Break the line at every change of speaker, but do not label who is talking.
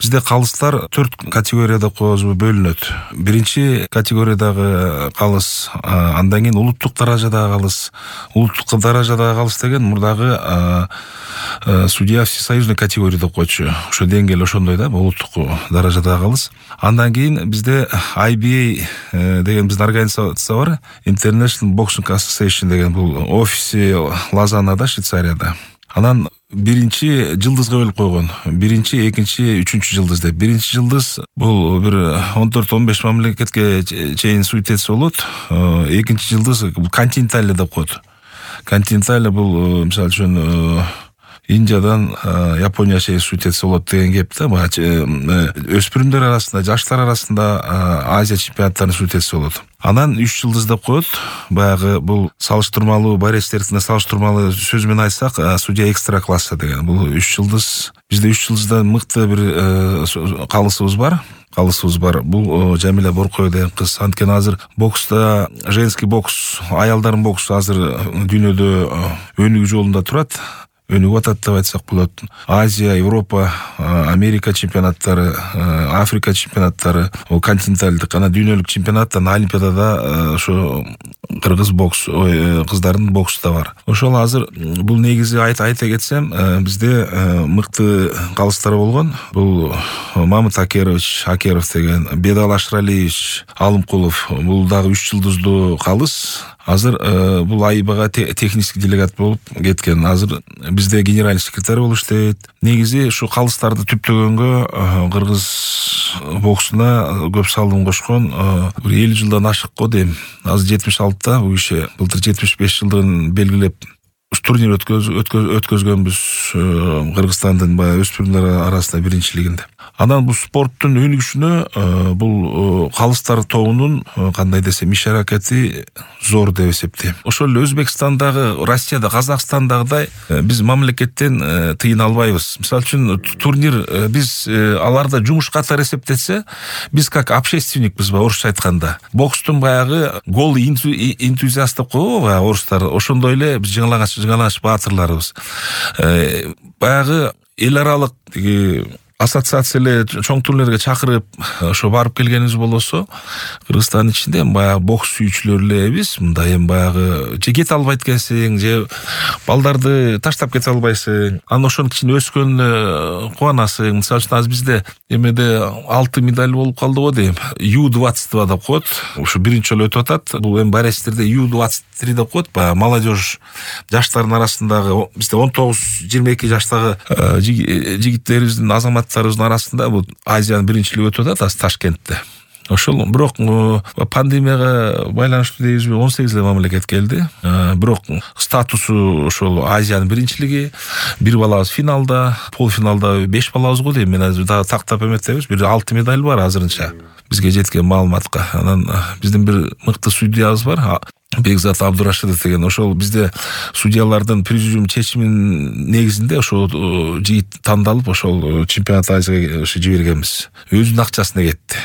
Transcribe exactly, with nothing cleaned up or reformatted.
Бизде калыстар төрт категорияда бөлүнөт. Биринчи категориядагы калыс, андан кийин улуттук даражадагы калыс. Улуттук даражадагы калыс деген мурдагы судья всесоюзный категория деп койчу. Ошо деңгээл ошондой да, улуттук даражадагы калыс. Андан кийин бизде ай би эй деген биздин организация бар. International Boxing Association деген бул офиси Лозаннада, Швейцарияда. Анан биринчи жылдызга бөлүп койгон. Биринчи, экинчи, үчүнчү жылдыз деп. Биринчи жылдыз бул бир он төрт он беш мамлекетке чейин суетец болот. Экинчи жылдыз континентальный деп коет. Континентальный бул мисалы үчүн Индиядан Япония чейин суетец болот деген кеп да. Өспүрүмдөр арасында, жаштар арасында Азия чемпионаттарынын суетеци болот. Анан үч жылдыз деп коет. Баягы бул салыштырмалуу борецтердин салыштырмалуу сөз менен айтсак, судья экстра класса деген. Бул үч жылдыз. Бизде үч жылдызда мыкты бир калысыбыз бар. Калысыбыз бар. Бул Жамиля Боркоева деген кыз. Анткени азыр бокста, женский бокс, аялдардын боксу азыр дүйнөдө өнүгүү жолунда турат. Өнүгүп атат деп айтсак болот. Азия, Европа, Америка чемпионаттары, Африка чемпионаттары, континенталдык, анан дүйнөлүк чемпионаттан Олимпиадада ошо кыргыз бокс, кыздардын боксу да бар. Ошол азыр бул негизи айта кетсем, бизде мыкты калыстар болгон. Бул Мамыт Акерович, Акеров деген, Бедал Ашралиевич, Алымкулов, бул дагы үч жылдыздуу калыс. Азыр бул АИБга технический делегат болуп кеткен. Азыр бизде генеральный секретарь болуп иштейт. Негизи ушу калыстарды түптөгөнгө кыргыз боксуна көп салым кошкон бир элүү жылдан ашык го дейм. Азыр жетимиш алтыда бул киши былтыр жетимиш беш жылдыгын белгилеп турнир өткөзгөнбүз Кыргызстандын баягы өспүрүмдөр арасында биринчилигинде. Анан бул спорттун өнүгүшүнө бул калыстар тобунун кандай десем иш аракети зор деп эсептейм. Ошол эле Өзбекстандагы, Россияда, Казакстандагыдай биз мамлекеттен тыйын албайбыз. Мисалы үчүн турнир биз аларда жумуш катары эсептесе, биз как общественникпиз ба орусча айтканда. Бокстун баягы гол энтузиаст деп коебу баягы орустар. Ошондой эле биз жыңаланыш жыңаланыш баатырларыбыз. Баягы эл аралык ассоциация эле чоң турнирлерге чакырып, ошо барып келгенибиз болсо, Кыргызстандын ичинде баягы бокс сүйүүчүлөр элебиз. Мында эми баягы же кете албайт экенсиң, же балдарды таштап кете албайсың. Анан ошонун кичине өскөнүнө кубанасың. Мисалы үчүн азыр бизде эмеде алты медаль болуп калды го дейм. ю двадцать два деп коет. Ошо биринчи жолу өтүп атат. Бул эми борецтерде ю двадцать три деп коет. Баягы молодежь жаштардын арасындагы бизде он тогуз жыйырма эки жаштагы жигиттерибиздин, азаматтарыбыздын арасында бул Азиянын биринчилиги өтүп атат азыр Ташкентте. Ошол бирок пандемияга байланыштуу дейбизби, он сегиз эле мамлекет келди. Бирок статусу ошол Азиянын биринчилиги, бир балабыз финалда, полуфиналда беш балабыз го дейм. Мен азыр дагы тактап эметебиз. Бир алты медаль бар азырынча бизге жеткен маалыматка. Анан биздин бир мыкты судьябыз бар, Бекзат Абдурашидов деген. Ошол бизде судьялардын президиум чечиминин негизинде ошол жигит тандалып, ошол чемпионат Азияга жибергенбиз. Өзүнүн акчасына кетти.